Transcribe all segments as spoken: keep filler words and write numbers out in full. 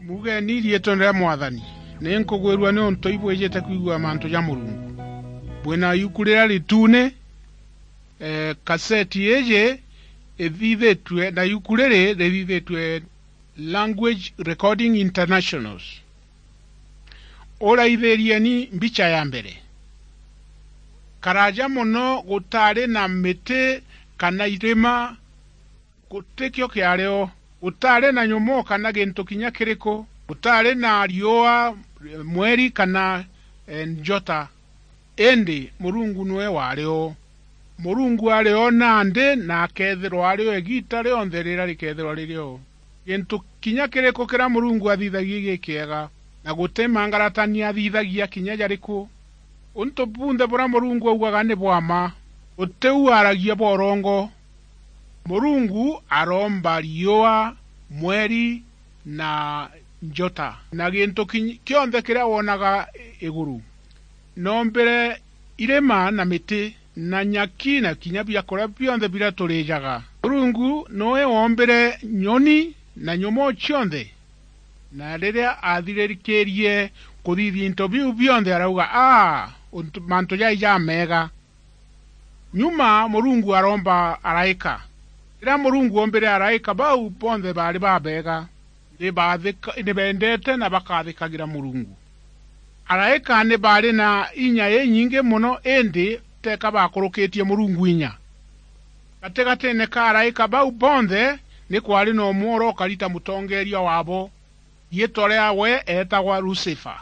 Ugeni riitwa ria Mwathani. Ni nkugwirua niuntu ibwijite kwigua mantu ja Murungu. Bwina iuku riria ritune, eh, kaseti iji ithithitue, na iuku riri rithithitue Language Recording Internationals. Uraithirieni mbicha ya mbere. Karaja mono gutari na miti kana irima, gutikio kiario, gutari na nyomoo kana gintu kinya kiriku, gutari na riua, mweri kana, eh, njota. Indi Murungu niwe wari o. Murungu ari o nandi, na akethirwa ari o igiita rionthe riria rikethirwa riri o. Gintu kinya kiriku kiria Murungu athithagia gikiega, na guti mangaratania athithagia kinya jariku. Untu bunthe buria Murungu augaga ni bwa mma, guti u aragia bwa urongo. Murungu aromba riua, mweri, na njota, na gintu ki-, kionthe kiria wonaga iguru. Noombire irima na miti, na nyaki, na kinya biakuria bionthe biria turijaga. Murungu niwe woombire nyoni na nyomoo cionthe. Na riria athiririkirie kuthithia into biu bionthe, arauga, "Aa, untu, mantu jai jameega." Nyuma Murungu aromba araika. Riria Murungu oombire araika, bau bonthe baari babeega, ni baathika-, ni bendete na bakathikagira Murungu. Araika ni baari na inya inyingi mono, indi teka baakurukitie Murungu inya. Gatigatiine ka araika bau bonthe ni kwaari na umwe uria ukari ta mutongeeria waabo. Riitwa riawe eetagwa Lucifer.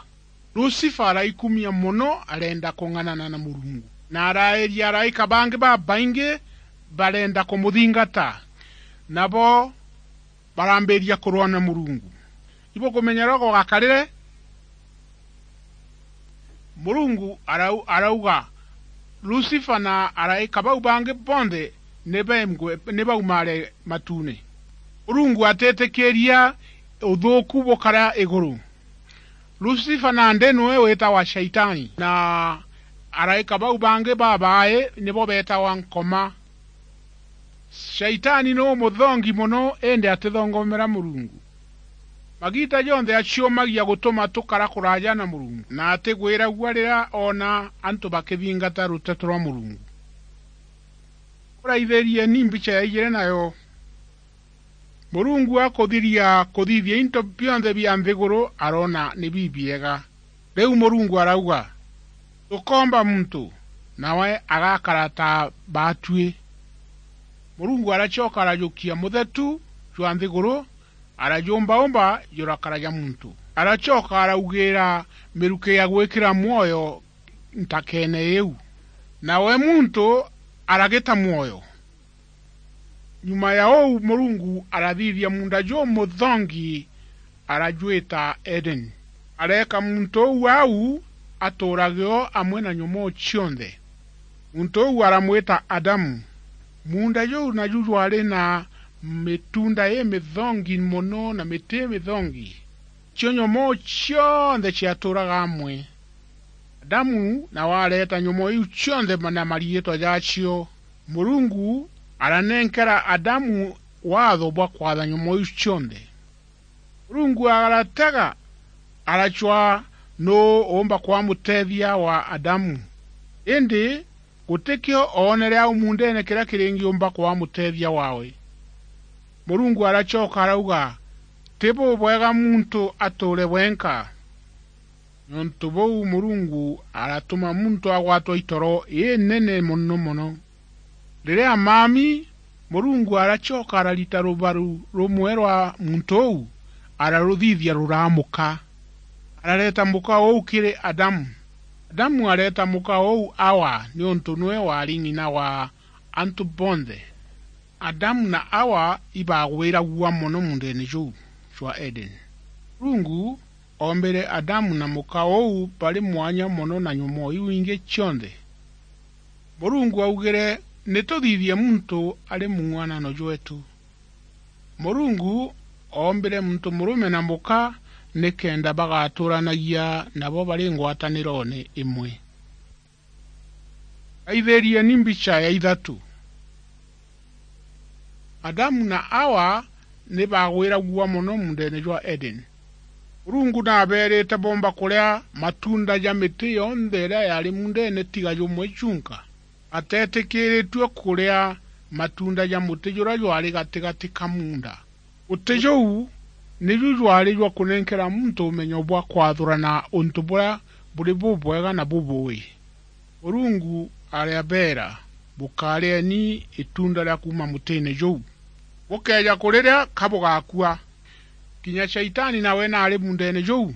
Lucifer araikumia mono, arenda kung'anana na Murungu, na arairia araika bangi babaingi barenda kumuthingata, nabo barambiria kurwa na Murungu. Ibukumenya uria gugakarire? Murungu arau-, arauga, Lucifer na araika bau bangi bonthe ni bemgwe-, ni baumare matuune. Murungu atitikiria uthuuku bukara iguru. Lucifer nandi niwe witagwa Shaitani, na araika bau bangi babaai nibo beetagwa Nkoma. Shaitani ni umuthongi mono, indi atithongomera Murungu. Magiita jonthe aciumagia gutuma tukara kuraaja na Murungu, na atigwiragua riria oona antu bakithingata ruteto rwa Murungu. Uraithirieni mbicha ya ijiri nayo. Murungu akuthiria kuthithia into bionthe bia nthiguru, aroona ni bibiega. Riu Murungu arauga, "Tukoomba muntu, nawe agakara ta baatui." Murungu aracoka arajukia muthetu jwa nthiguru, arajumbaumba jurakara ja muntu. Aracoka araugiira miruki ya gwikira mwoyo ntakeene iu, nawe muntu aragita mwoyo. Nyuma ya uu, Murungu arathithia muunda jumuthongi, arajwita Edeni. Areeka muntu uu au atuurage o amwe na nyomoo cionthe. Muntu uu aramwita Adamu. Muunda juu naju jwaari na mituunda imithongi mono na miti imithongi. Cio nyomoo cionthe ciatuuraga amwe. Adamu nawe areeta nyomoo iu cionthe na mariitwa jaacio. Murungu aranenkera Adamu waatho bwa kwatha nyomoo iu cionthe. Murungu aratega, aracwaa nuu uumba kwaa muteethia wa Adamu. Indi gutikio oonere au muundeene kiria kiringiumba kwaa muteethia waawe. Murungu aracoka arauga, "Ti bubwega muntu atuure wenka." Niuntu buu, Murungu aratuma muntu agwatwa itoro inene mono mono. Riria maami, Murungu aracoka ararita rubaru rumwe rwa muntu uu, araruthithia ruraa muka. Arareeta muka uu kiri Adamu. Adamu areeta muka uu Awa, niuntu niwe waari ng'ina wa antu bonthe. Adamu na Awa ibagwiragua mono muundeene juu jwa Edeni. Murungu oombire Adamu na muka uu bari mwanya mono na nyomoo iu ingi cionthe. Murungu augire, "Ni tuthithie muntu ari mung'uanano jweetu." Murungu oombire muntu murume na muka nikenda bagatuuranagia nabo bari ngwataniroone imwe. Aithirieni mbicha ya ithatu. Adamu na Awa ni bagwiragua mono muundeene jwa Edeni. Murungu nabeerite boomba kuria matunda ja miti yonthe iria yaari muundeene tiga jumwe junka. Bateetikiritue kuria matunda ja muti juria jwaari gatigati ka muunda. Muti juu niju jwaari jwa kunenkera muntu umenyo bwa kwathurana untu buria buri bubwega na bubuui. Murungu arabeera, "Bukarieni itunda ria kuuma mutiine juu. Bukeeja kuriria, ka bugakua." Kinya Shaitani nawe naari muundeene juu.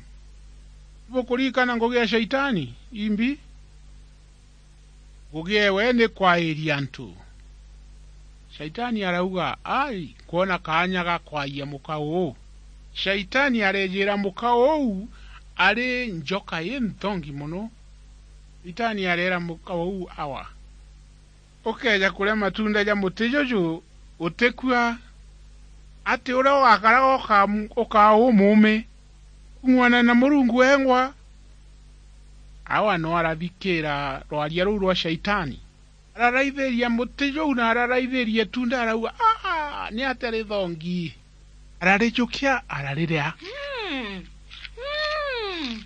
Ibukuririkana ngugi ya Shaitani? Imbi. Ngugi ewe ni kwairia antu. Shaitani arauga, "Ai, kwona kaanya ga kwaia muka uu." Shaitani areejira muka uu ari njoka inthongi mono. Shaitani areera muka uu, "Awa, ukeeja kuria matunda ja muti juju, utikua. Ati uria ugakaraga uka-, ukaa umuumi kung'uana na Murungu wengwa?" Awa no arathikiira rwaria ruu rwa Shaitani. Araraithiria muti juu na araraithiria itunda, arauga, "Aa, ni atia rithongi?" Ararijukia, arariria. Mm. Mm.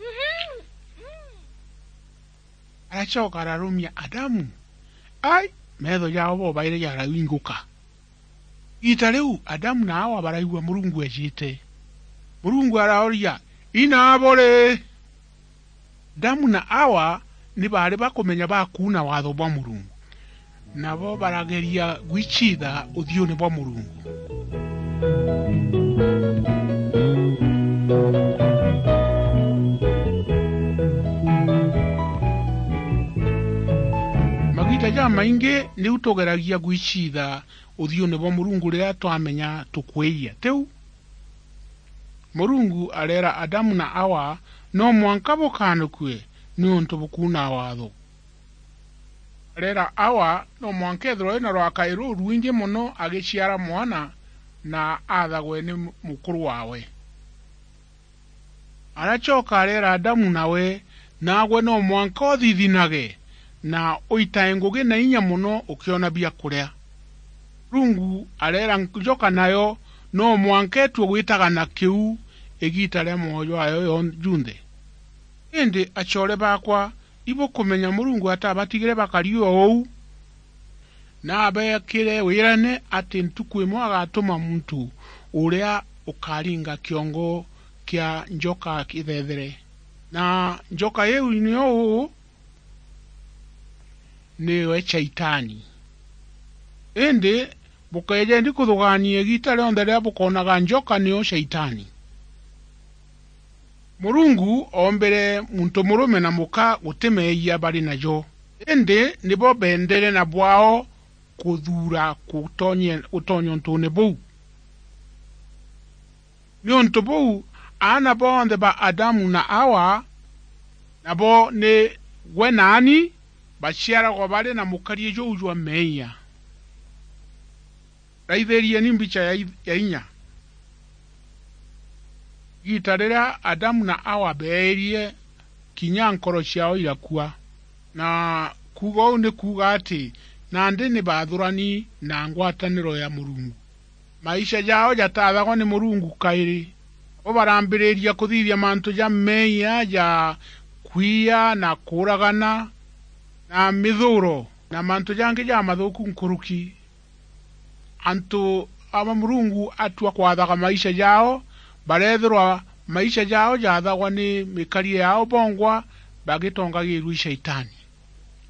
Mhm. Mm. Aracoka ararumia Adamu. Ai, meetho jao bobairi jarainguka. Igiita riu, Adamu na Awa baraigua Murungu eejite. Murungu arooria, "Inaabo ri?" Adamu na Awa ni baari bakumenya bakuuna waatho bwa Murungu. Nabo barageria gwiciitha uthiuune bwa Murungu. Magiita jamaingi niu tugeragia gwiciitha uthiuune bwa Murungu riria twamenya tukwiiya. Tiu? Murungu areera Adamu na Awa, "No mwanka bukanukue niuntu bukuuna waatho." Areera Awa, "No mwanka ethirwe ena rwakai rurwingi mono agiciara mwana na athagwe ni mukuru waawe." Aracoka areera Adamu nawe, "Naagwe no mwanka uthithinage na uitae ngugi na inya mono ukiona biakuria." Murungu areera njoka nayo, "No mwanka itue gwitaga na kiu igiita ria mwoyo jwayo yon-, junthe." Indi acoore baakwa, ibukumenya Murungu atabatigire bakari o uu. Nabeekire wirane ati ntuku imwe agatuma muntu uria ukaringa kiongo kia njoka kithethere. Na njoka iu nio uu, niwe Shaitani. Indi bukeejendi kuthugaania igiita rionthe riria bukoonaga njoka nio Shaitani. Murungu oombire muntu murume na muka guti meeyia bari najo, indi nibo beendere na bwao kuthuura kutonye-, gutonya untuune buu. Niuntu buu, aana bonthe ba Adamu na Awa, nabo ni gwe naani, baciaragwa bari na mukari juu jwa meeyia. Raithirieni mbicha ya i-, ya inya. Igiita riria Adamu na Awa beerie, kinya nkoro ciao irakua. Na kuuga uu ni kuuga ati nandi ni baathurani na ngwataniro ya Murungu. Maisha jao jatathagwa ni Murungu kairi. Bo barambiriria kuthithia mantu ja meeyia ja kwiya na kuuragana na mithuuro na mantu jangi jamathuuku nkuruki. Antu aba Murungu atua kwathaga maisha jao, bareethirwa maisha jao jaathagwa ni mikarire yao bongwa, bagitongagirua i Shaitani.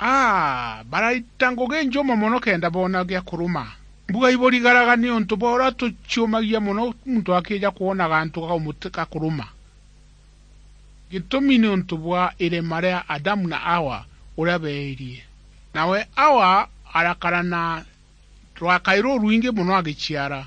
Aa, baraita ngugi njuma mono kenda boona gia kuruma. Mbuga iburigaraga niuntu bwa uria tuciumagia mono muntu akija kwonaga antu ga umuti-, ga kuruma. Gitumi niuntu bwa irema ria Adamu na Awa uria beerie. Nawe Awa arakara na rwakai rurwingi mono agiciara.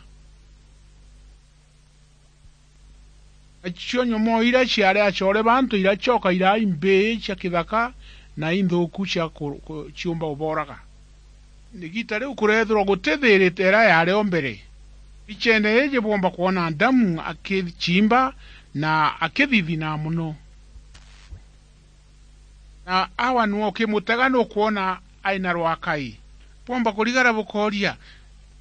Nacio nyomoo iria ciari acoore ba antu iracoka iraa imbii cia kithaka na inthuuku cia ku-, ku-, ciumba ubooraga. Igiita riu kureethirwa guti thiiri ta iria yaari o mbere. Mbicheene iiji bwomba kwona Adamu akiciimba na akithithina mono. Na Awa nwe ukimutega nukwona ai na rwakai. Bwomba kurigara bukooria,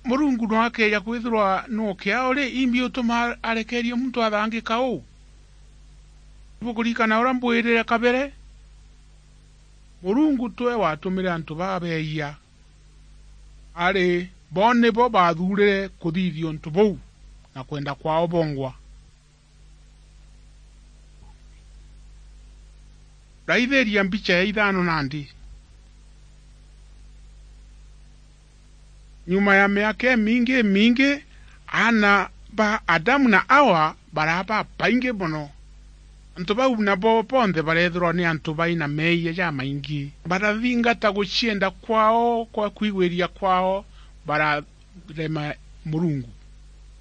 Murungu nwe akeeja kwithirwa nwe ukiao ri, imbi utuma arekeerie muntu athangika uu? Bukuririkana uria mbwirire kabere? Murungu twe watumire antu babeeyia, ari bo nibo bathuurire kuthithia untu buu na kwenda kwao bongwa. Raithiria mbicha ya ithano nandi. Nyuma ya miaka imingi, imingi, aana ba Adamu na Awa baraa babaingi mono. Antu bau nabo bonthe bareethirwa ni antu bai na meeyia jamaingi. Barathingata gucienda kwao, kwa kwigwiria kwao, bararema Murungu.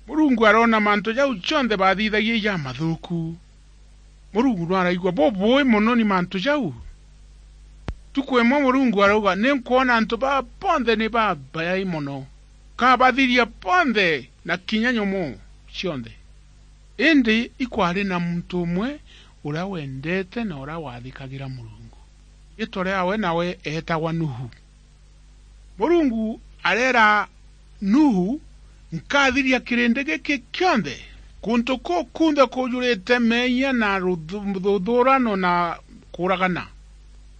Murungu aroona mantu jau jonthe bathithagia i jamathuuku. Murungu no araigua bubui mono ni mantu jau. Ntuku imwe Murungu arauga, "Ni nkwona antu baa bonthe ni babaai mono. Nkabathiria bonthe na kinya nyomoo cionthe." Indi ikwari na muntu umwe uria wendete na uria wathikagira Murungu. Riitwa riawe nawe eetagwa Nuhu. Murungu areera Nuhu, "Nkathiria kirindi giki kionthe, kuntu kuu kunthe kujurite meeyia na ruthu-, ruthuurano na kuuragana.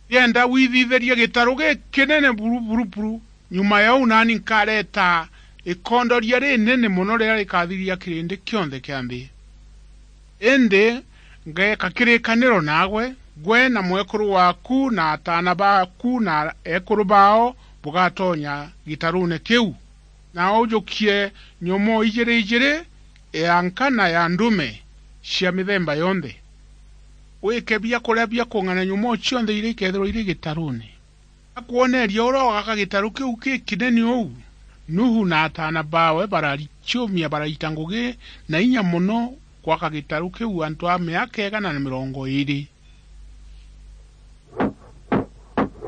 Ndienda withithirie gitaru gikinene buru, buru, buru. Nyuma ya uu naani nkareeta ikondoria rinene mono riria rikathiria kirindi kionthe kia nthi. Indi ngeeka kirikaniro naagwe, gwe na mwekuru waaku na ataana baaku na eekuru baao bugatonya gitaruune kiu, na ujukie nyomoo ijiri ijiri, ya nka na ya ndume cia mithemba yonthe. Wike biakuria bia kung'ana nyomoo cionthe iria ikeethirwa iri gitaruune." Akwoneria uria ugaka gitaru kiu gikinene uu, Nuhu na ataana baawe bararichiumia, baraita ngugi na inya mono gwaka gitaru kiu antu a miaka igana na mirongo iiri.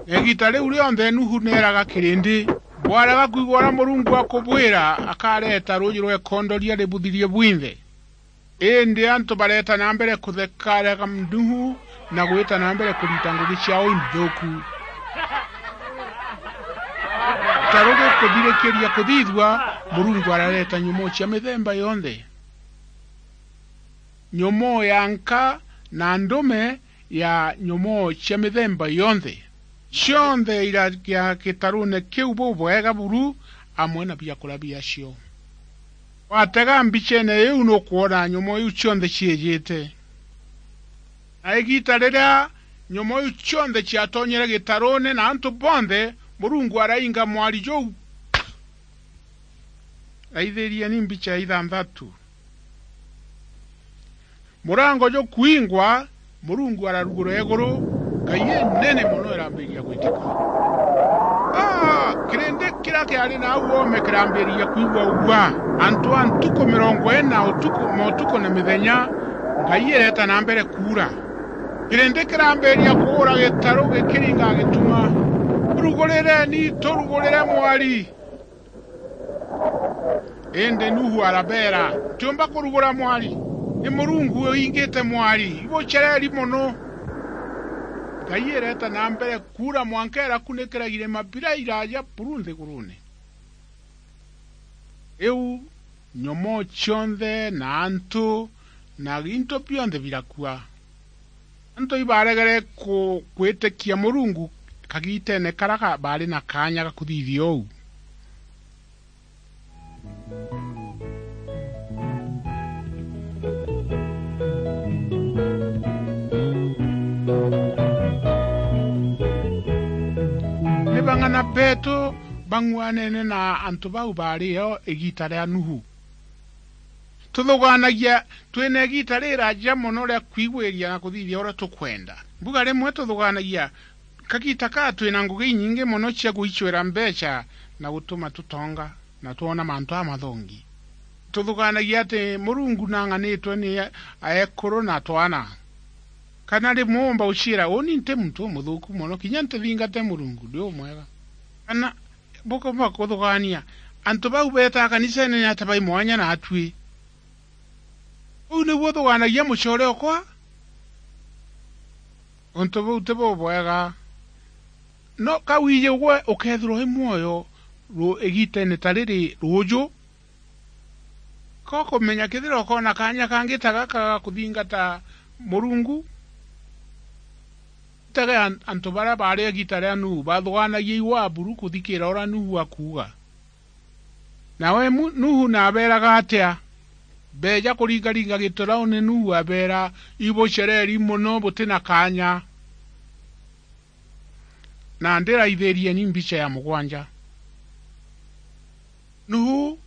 Na igiita riu rionthe Nuhu neeraga kirindi, "Bwarega kwigua uria Murungu akubwira, akareeta ruuji rwa ikondoria ributhirie bwinthe." Indi antu bareeta na mbere kuthekarega Nuhu na gwita na mbere kurita ngugi ciao inthuuku. Gitaru gikuthirikiria kuthithua, Murungu arareeta nyomoo cia mithemba yonthe. Nyomoo ya nka na ndume ya nyomoo cia mithemba yonthe. Cionthe iragia gitaruune kiu bubwega buru, amwe na biakuria biacio. Watega mbicheene iu, nukwona nyomoo iu cionthe ciijite. Na igiita riria nyomoo iu cionthe ciatonyere gitaruune na antu bonthe, Murungu arainga mwari juu. Raithirieni mbicha ya ithanthatu. Murango jukwingwa, Murungu ararugura iguru, ngai inene mono irambiria gwitika. Ah, kirindi kiria kiari na au oome kirambiria kwigua ugua. Antu a ntuku mirongo ina utuku, motuku na mithenya, ngai ireeta na mbere kuura. Kirindi kirambiria kuura gitaru gikiringa gituma, "Turugurireni, turugurire mwari." Indi Nuhu arabeera, "Ntiumba kurugura mwari. Ni Murungu uingite mwari. Ibucereri mono." Ngai ireeta na mbere kuura mwanka irakunikira irima biria iraaja buru nthiguruune. Riu nyomoo cionthe na antu na into bionthe birakua. Antu ibaregere ku-, gwitikia Murungu kagiiteene karia ka-, baari na kaanya ga kuthithia uu. Ni bang'ana beetu bang'uanene na antu bau baari o igiita ria Nuhu? Tuthugaanagia twina igiita riraaja mono ria kwigwiria na kuthithia uria tukwenda. Mbuga rimwe tuthugaanagia kagiita kaa twina ngugi inyingi mono cia gwicwira mbeecha na gutuma tutonga na twona mantu jamathongi. Tuthugaanagia ati Murungu nang'anitwe ni aekuru na twana. Kana rimwe uumba uciira, "Uuni nti muntu umuthuuku mono, kinya ntithingate Murungu, ndi umwega." Kana bukumba kuthugaania, "Antu bau beetaa kaniseene ni ata bai mwanya naatui?" Uu niu uthugaanagia mucoore okwa? Untu buu ti bubwega. No ka wiiji gwe ukeethirwa wi mwoyo ru-, igiiteene ta riri ruuju, ka ukumenya kethira ukoona kaanya kangi ta gaka ga kuthingata Murungu, Tege an-, antu baria baari igiita ria Nuhu bathugaanagia iwa buru kuthikiira uria Nuhu akuuga. Nawe Mu-, Nuhu naabeeraga atia? Beeja kuringaringa gituraune, Nuhu abeera, "Ibucereri mono, buti na kaanya." Na ndiraithiirieni mbicha ya mugwanja. Nuhu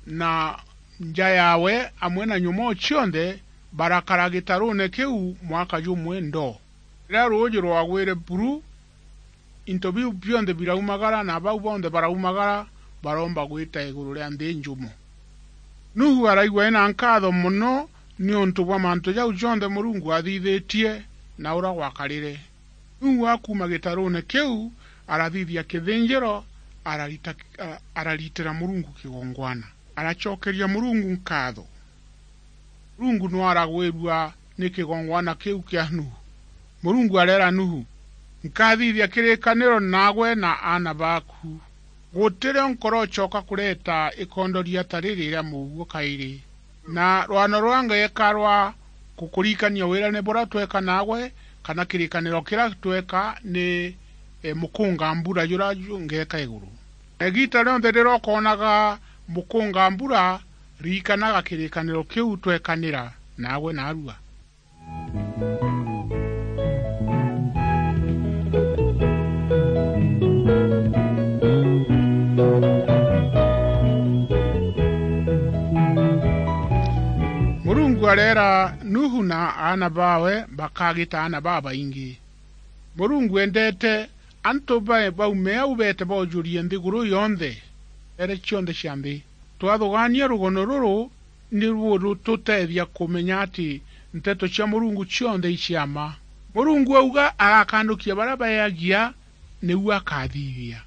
na nja yaawe amwe na nyomoo cionthe barakara gitaruune kiu mwaka jumwe ndoo. Riria ruuji rwagwire buru, into biu bionthe biraumagara, na bau bonthe baraumagara baroomba gwita iguru ria nthi njumo. Nuhu araigua ena nkaatho mono niuntu bwa mantu jau jonthe Murungu aathithitie na uria gwakarire. Nuhu akuuma gitaruune kiu, arathithia kithinjiro, ararita-, a-, araritira Murungu kigongwana. Aracokeria Murungu nkaatho. Murungu no aragwirua ni kigongwana kiu kia Nuhu. Murungu areera Nuhu, "Nkathithia kirikaniro naagwe na aana baaku. Gutirio nkorocoka kureta ikondoria ta riri ria muuguo kairi. Na rwano ruria ngeeka rwa kukuririkania wirane buria tweeka naagwe, kana kirikaniro kiria tweeka ni, e, mukunga mbura juria ju-, ngeeka iguru. Na igiita rionthe riria ukoonaga mukunga mbura, ririkanaga kirikaniro kiu tweekanira naagwe naarua." Murungu areera Nuhu na aana baawe bakagita aana babaingi. Murungu endeete antu bae baume au beete boojurie nthiguru yonthe, nteere cionthe cia nthi. Twathugaania rugono ruru, ni rututeethia kumenya ati nteto cia Murungu cionthe i cia mma. Murungu auga agakandukia baria baeagia, niu akathithia.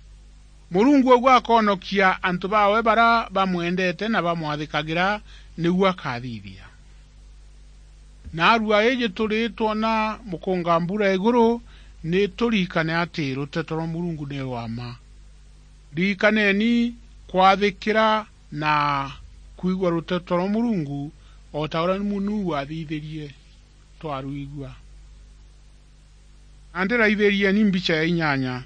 Murungu auga akonokia antu baawe baria bamwendete na bamwathikagira, niu akathithia. Naarua iji turi twona mukunga mbura iguru, ni turirikane ati ruteto rwa Murungu ni rwa mma. Ririkaneni kwathikira na kwigua ruteto rwa Murungu, o ta uria Nuhu aathithirie twarwigua. Na ndiraithirieni mbicha ya inyanya.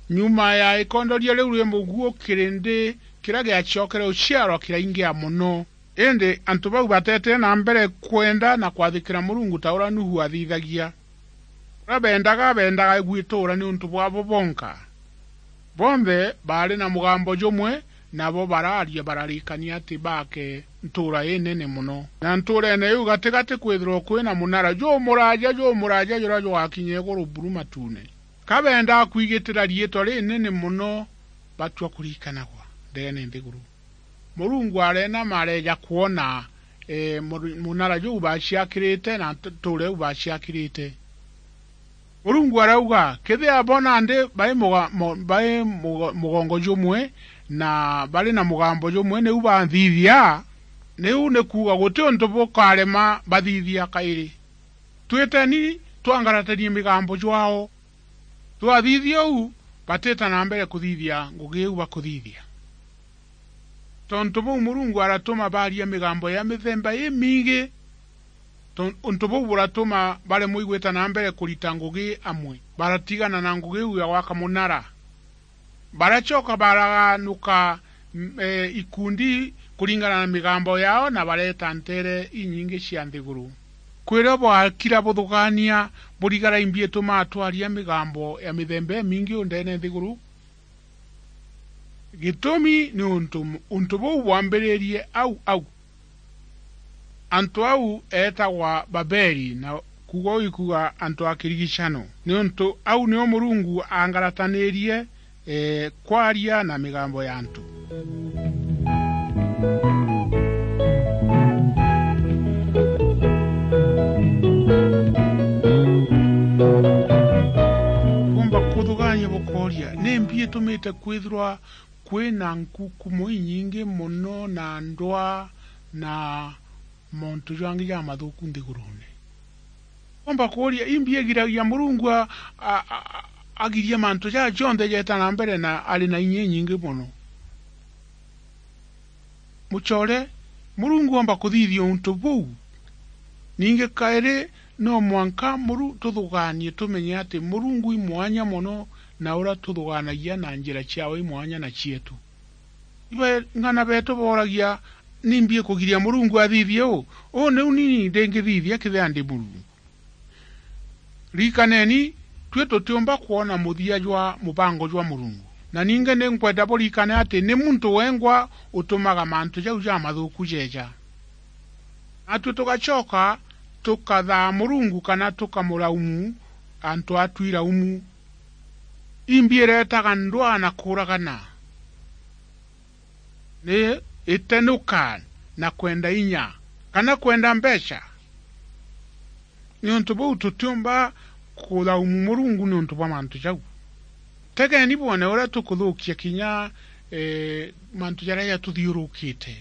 Nyuma ya ikondoria riu ria muguo, kirindi kiria giacokere uciarwa kiraingia mono. Indi antu bau bateetire na mbere kwenda na kwathikira Murungu ta uria Nuhu aathithagia. Uria beendaga, beendaga gwituura niuntu bwabo bonka. Bonthe baari na mugambo jumwe, nabo baraaria bararikania ati baake ntuura inene mono. Na ntuurene iu gatigati kwithirwa kwina munara jumuraaja, jumuraaja juria jwakinya iguru buru matuune. Ka beendaga kwigitira riitwa rinene mono, batua kurikanagwa ndeene nthiguru. Murungu areenama areeja kwona, ee, mur-, munara juu baaciakirite na ntu-, ntuura iu baaciakirite. Murungu arauga, kethira bo nandi bai muga-, mo-, bai mugo-, mugongo jumwe na bari na mugambo jumwe, niu banthithia, niu ni kuuga guti untu bukarema bathithia kairi. Twiteni twangaratanie migambo jwao. Twathithia uu, batita na mbere kuthithia ngugi iu bakuthithia. Tontu buu Murungu aratuma baaria migambo ya mithemba imingi. Ton-, untu buu buratuma baremwa igwita na mbere kurita ngugi amwe. Baratigana na ngugi iu ya gwaka munara. Baracoka baraganuka, m-, e, ikundi kuringana na migambo yao, na bareeta nteere inyingi cia nthiguru. Kwirio bwakira buthugaania, burigara imbi itumaa twaria migambo ya mithemba imingi undeene nthiguru? Gitumi ni untu, untu buu bwambiririe au au. Antu au eetagwa Babeli, na kuuga uu ikuuga antu a kirigicano, niuntu au nio Murungu aangarataniririe, ee, kwaria na migambo ya antu. Bumba kuthugaania bukooria, ni mbi itumite kwithirwa kwina nkukumo inyingi mono na ndwaa na montu jangi jamathuku nthigurune? Omba kuuria, imbi igiragia Murungu a-, a-, a-, agirie mantu jaa jonthe jeeta na mbere na ari na inya inyingi mono? Mucoore, Murungu omba kuthithia untu buu. Ningi kairi, No mwanka muru-, tuthugaanie tumenye ati Murungu i mwanya mono, na uria tuthugaanagia na njira ciawe i mwanya na cietu. Ibaing'ana beetu booragia, "Nimbi ikugiria Murungu athithie uu? Uu niu ni ndingithithia kethira ndi Murungu?" Ririkaneni, tui tutiumba kwona muthia jwa mubango jwa Murungu. Na ningi ni nkwenda buririkane ati ni muntu wengwa utumaga mantu jau jamathuku jeeja. Natui tugacoka tukathaa Murungu kana tukamuraumu antu a twiraumu. Imbi ireetaga ndwaa na kuuragana, ni itenuka na kwenda inya, kana kwenda mbeca. Niuntu buu tutiumba kuraumu Murungu niuntu bwa mantu jau. Tegeni bwone uria tukuthukia kinya, eh, mantu jaria jatuthiurukite.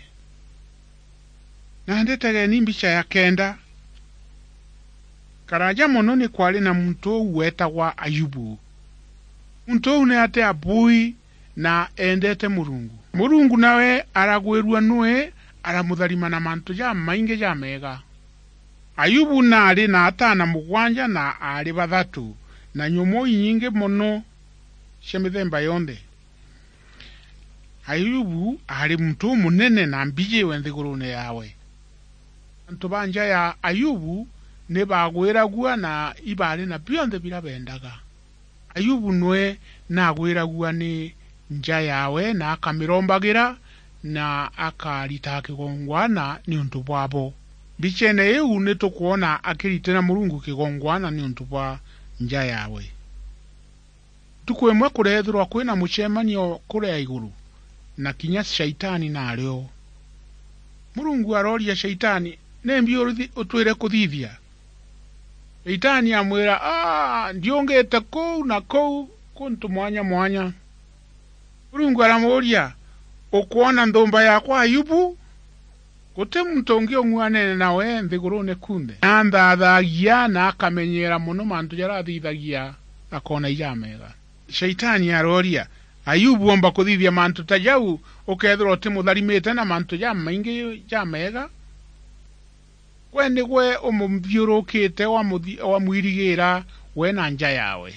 Nandi tegeni mbicha ya kenda. Karaja mono ni kwari na muntu uu weetagwa Ayubu. Muntu uu ni ati abui na eendete Murungu. Murungu nawe aragwirua nui, aramutharima na mantu jamaingi jameega. Ayubu naari na ataana mugwanja na aari bathatu, na nyomo inyingi mono cia mithemba yonthe. Ayubu aari muntu umunene na mbijiwe nthiguruune yaawe. Antu ba nja ya Ayubu ni baagwiragua na ibaari na bionthe biria beendaga. Ayubu nwe naagwiragua ni nja yaawe na akamirombagira na akaritaga kigongwana niuntu bwabo. Mbicheene iu ni tukwona akiritira Murungu kigongwana niuntu bwa nja yaawe. Ntuku imwe kureethirwa kwina mucemanio kuria iguru, na kinya Shaitani naari o. Murungu arooria Shaitani, "Nimbi urithi-, utwire kuthithia?" Shaitani amwira, "Aa, ndiungite kuu na kuu kuntu mwanya mwanya." Murungu aramuuria, "Ukwona nthumba yakwa Ayubu? Guti muntu ungi ung'uanene nawe nthiguruune kunthe. Anthaathagia na akamenyeera mono mantu jaria athithagia, akoona ijameega." Shaitani arooria, "Ayubu oomba kuthithia mantu ta jau, ukeethirwa utimutharimite na mantu jamaingi jameega? Gwe nigwe umuthiurukiite, wamuthi-, wamwirigiira we na nja yaawe.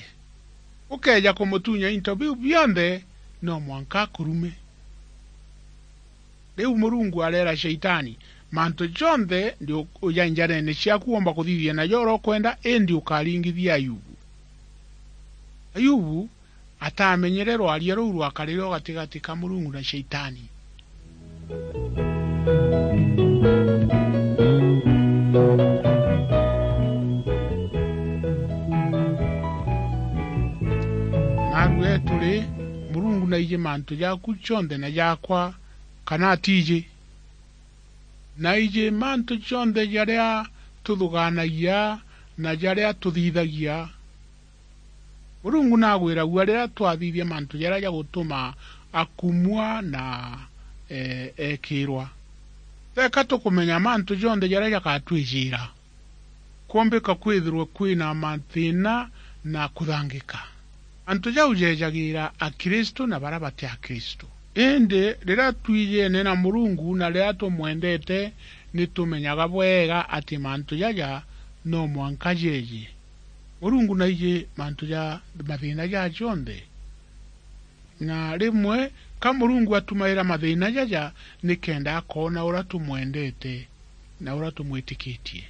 Ukeeja kumutunya into biu bionthe, no mwanka akurume." Riu Murungu areera Shaitani, "Mantu jonthe ndi u-, uja njareene ciaku uumba kuthithia najo uria ukwenda, indi ukaringithia Ayubu." Ayubu ataamenyere rwaria ruu rwakarire o gatigati ka Murungu na Shaitani. Naarua etu ri, Murungu naiji mantu jaaku jonthe na jaakwa, kana atiiji? Naiji mantu jonthe jaria tuthugaanagia na jaria tuthithagia. Murungu naagwiragua riria twathithia mantu jaria jagutuma akumua na, e, eekirwa. Teeka tukumenya mantu jonthe jaria jagatwijiira. Kwombika kwithirwe kwina mathiina na kuthangika. Antu jau jeejagiira Akristu na baria bati Akristu. Indi riria twijeene na Murungu na riria tumwendete, ni tumenyaga bwega ati mantu jaja no mwanka jeeje. Murungu naiji mantu ja mathiina jaa jonthe. Na rimwe ka Murungu atumaira mathiina jaja nikenda akoona uria tumwendete na uria tumwitikitie.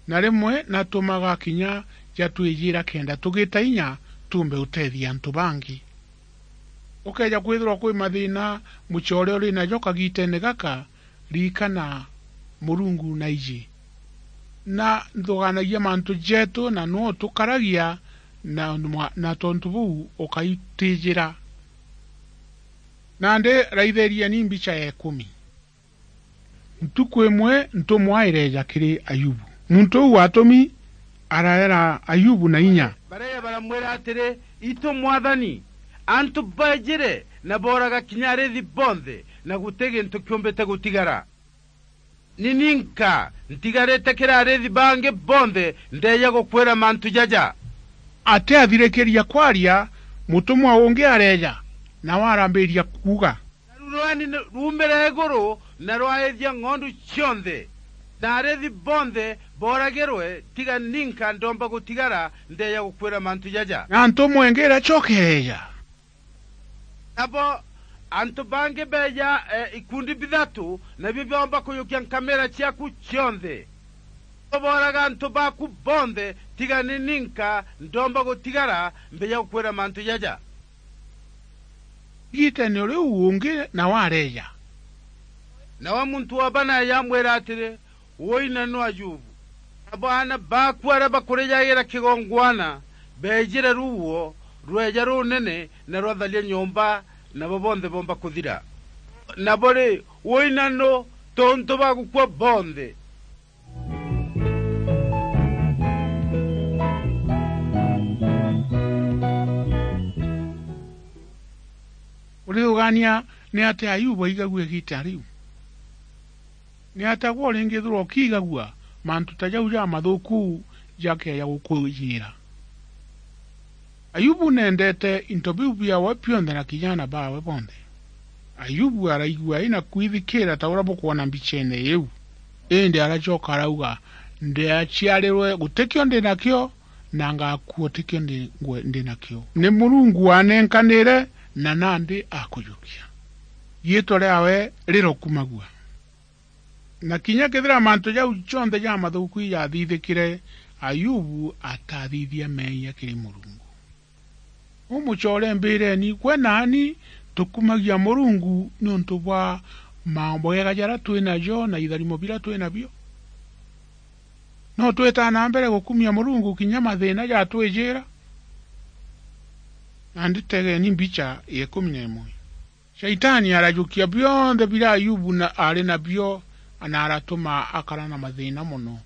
Na rimwe natumaga kinya jatwijiira kenda tugita inya tuumbe uteethia antu bangi. Ukeeja kwithirwa kwi mathiina mucoore uri najo kagiiteene gaka, ririkana Murungu naiji. Na nthugaanagia mantu jeetu na nuu tukaragia na, na tontu buu ukaitiijira. Nandi raitherieni mbicha ya ikumi. Ntuku imwe ntumwa ireeja kiri Ayubu. Muntu uu watumi araera Ayubu na inya. Bareeja baramwira atiri, "Itu Mwathani, antu baijire na booraga kinya ariithi bonthe, na guti gintu kiumbite gutigara. Ni ninka ntigarite kiri ariithi bangi bonthe ndeeja gukwira mantu jaja." Atiathirikiria kwaria, mutumwa ungi areeja, nawe arambiria kuuga, "Naru rweni ruumire iguru na rwaithia ng'ondu cionthe, Na arithi bonthe booragirwe, tiga ninka ndomba gutigara ndeeja gukwira mantu jaja. Na ntumwa ingi iracokereja. Nabo antu bangi beeja, e, ikundi bithatu, nabio biomba kujukia nkamira ciaku cionthe. Booraga antu baaku bonthe, tiga ni ninka ndomba gutigara mbeeja gukwira mantu jaja. Igitene riu ungi nawe areeja. Nawe muntu wa bana yamwira atiri, "Woi na nu Ayubu. Nabo aana baaku aria bakurijagira kigongwana beejire ruuo rweeja runene na rwatharia nyomba, nabo bonthe boomba kuthira. Nabo ri, woi na nu tontu ba gukua bonthe." Urithugaania ni atia Ayubu aigagua igita riu? Ni atia gwe uringithirwa ukiigagua mantu ta jau jamathuku jakeeja gukwijiira? Ayubu neendete into biu biaawe bionthe na kinya aana baawe bonthe. Ayubu araigua aina kwithikiira ta uria bukwona mbicheene iu. Indi aracoka arauga, "Ndiaciarirwe gutikio ndi nakio, na ngakua utikio ndi, ngwe-, ndi nakio. Ni Murungu wanenkaniire, na nandi akujukia. Riitwa riaawe rirokumagua." Na kinya kethira mantu jau jonthe jamathuku ijathithikire, Ayubu atathithia meeyia kiri Murungu. Umucoore mbiireni, gwe naani tukumagia Murungu niuntu bwa mameega jaria twi najo na itharimo biria twi nabio? No twitaa na mbere gukumia Murungu kinya mathiina jatwijiira? Nandi tegeeni mbicha ya ikumi na imwe. Shaitani arajukia bionthe biria Ayubu na, aari nabio, na aratuma akara na mathiina mono.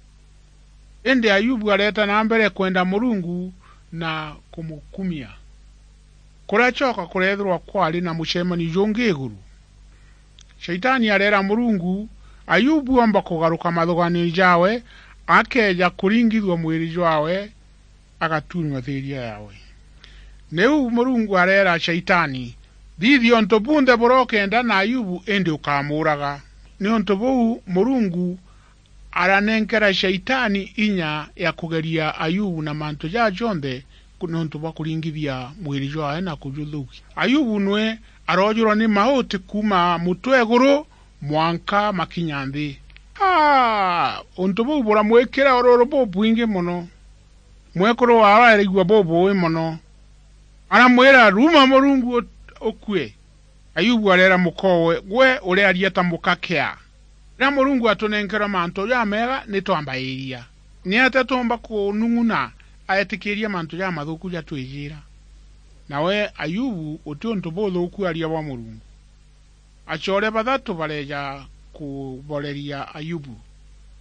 Indi Ayubu areeta na mbere kwenda Murungu na kumukumia. Kuracoka kureethirwa kwari na mucemanio jungi iguru. Shaitani areera Murungu, Ayubu oomba kugaruka mathugaanio jaawe, akeeja kuringithua mwiri jwaawe, agatunywa thiiria yaawe. Niu Murungu areera Shaitani, "Thithia untu bunthe buria ukeenda na Ayubu, indi ukamuuraga." Niuntu buu, Murungu aranenkera Shaitani inya ya kugeria Ayubu na mantu jaa jonthe ku-, niuntu bwa kuringithia mwiri jwaawe na kujuthukia. Ayubu nwe aroojurwa ni mauti kuuma mutwe iguru mwanka makinya nthi. Aa! Untu buu buramwikira ururu bubwingi mono. Mwekuru waawe araigua bubuui mono. Aramwira, "Ruma Murungu u-, ukue." Ayubu areera mukoowe, "Gwe uriaria ta muka kia. Riria Murungu atunenkerwe mantu jameega, ni twambairia. Ni atia tuumba kunung'una aetikiiria mantu jamathuku jatwijiira?" Nawe Ayubu guti untu buthuku aria bwa Murungu. Acoore bathatu bareeja kuboreria Ayubu.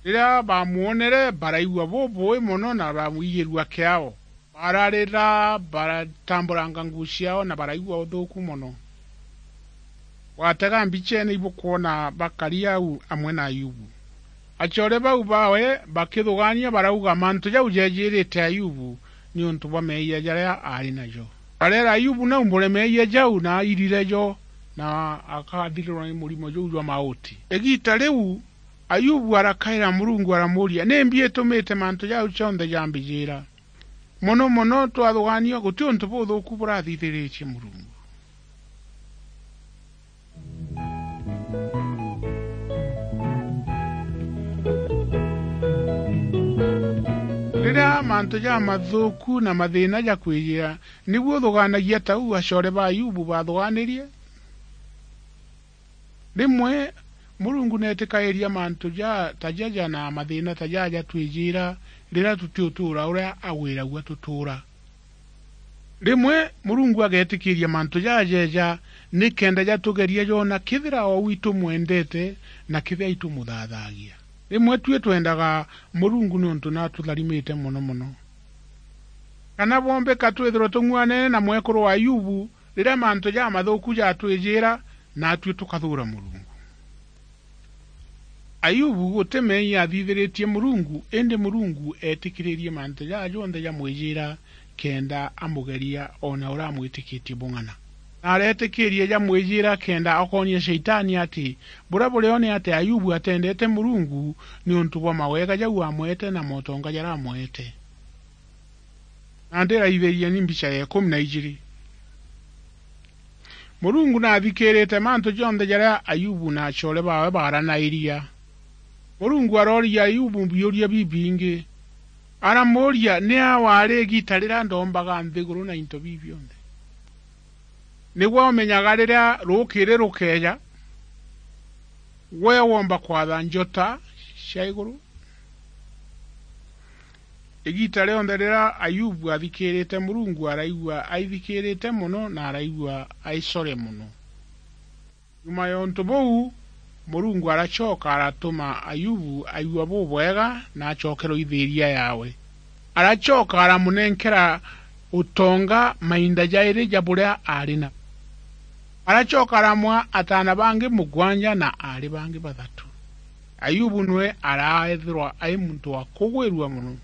Riria baamwonere, baraigua bubuui mono na baramwigirua kiao. Bararira, baratamburanga nguu ciao na baraigua uthuuku mono. Watega mbicheene ibukwona bakari au amwe na Ayubu. Acoore bau baawe bakithugaania barauga, "Mantu jau jeejiirite Ayubu niuntu bwa meeyia jaria aari najo." Bareera Ayubu naumbure meeyia jau na airire jo, na akathirirwa ni murimo juu jwa mauti. Igiita riu, Ayubu arakaira Murungu aramuuria, "Nimbi itumite mantu jau jonthe jambijiira?" Mono mono twathugaania, guti untu buthuuku burathithiritie Murungu. Riria mantu jamathuuku na mathiina jakwijiira, nibu uthugaanagia ta uu acoore ba Ayubu baathugaanirie? Rimwe Murungu neetikairia mantu ja, ta jaja na mathiina ta jaja jatwijiira riria tutiutuura uria agwiragua tutuura. Rimwe Murungu ageetikiiria mantu jaja jeeja nikenda jatugeria joona kethira o uu itumwendete na kethira itumuthaathagia. Rimwe tui twendaga Murungu niuntu ni atutharimite mono mono. Kana bwombika twithirwe tung'uanene na mwekuru wa Ayubu, riria mantu jamathuuku jatwijiira, naatui tukathuura Murungu. Ayubu guti meeyia aathithiritie Murungu, indi Murungu eetikiririe mantu jaa jonthe jamwijiira kenda amugeria o na uria amwitikitie bung'ana. na areetikiiria jamwijira kenda akoonia Shaitani ati buria burione ati Ayubu atendete Murungu niuntu bwa mawega jau amwete na motonga jaria amwete. Nandi raithiria ni mbicha ya ikumi na ijiri. Murungu naathikiirite mantu jonthe jaria Ayubu na acoore baawe baaranairia. Murungu arooria Ayubu biuria bibingi. Aramuuria, "Nia waari igiita riria ndoombaga nthiguru na into biu bionthe? Nigwe umenyaga riria ruukiri rukeeja, gwe woomba kwatha njota cia iguru?" Igiita rionthe riria Ayubu aathikiirite Murungu, araigua aithikiirite mono na araigua aicore mono. Nyuma ya untu buu, Murungu aracoka aratuma Ayubu aigua bubwega na acokerwa ithiiria yaawe. Aracoka aramunenkera utonga mainda jairi ja buria aari na. Aracoka aramwaa ataana bangi mugwanja na aari bangi bathatu. Ayubu niwe araethirwa ai muntu wa kugwirua mono.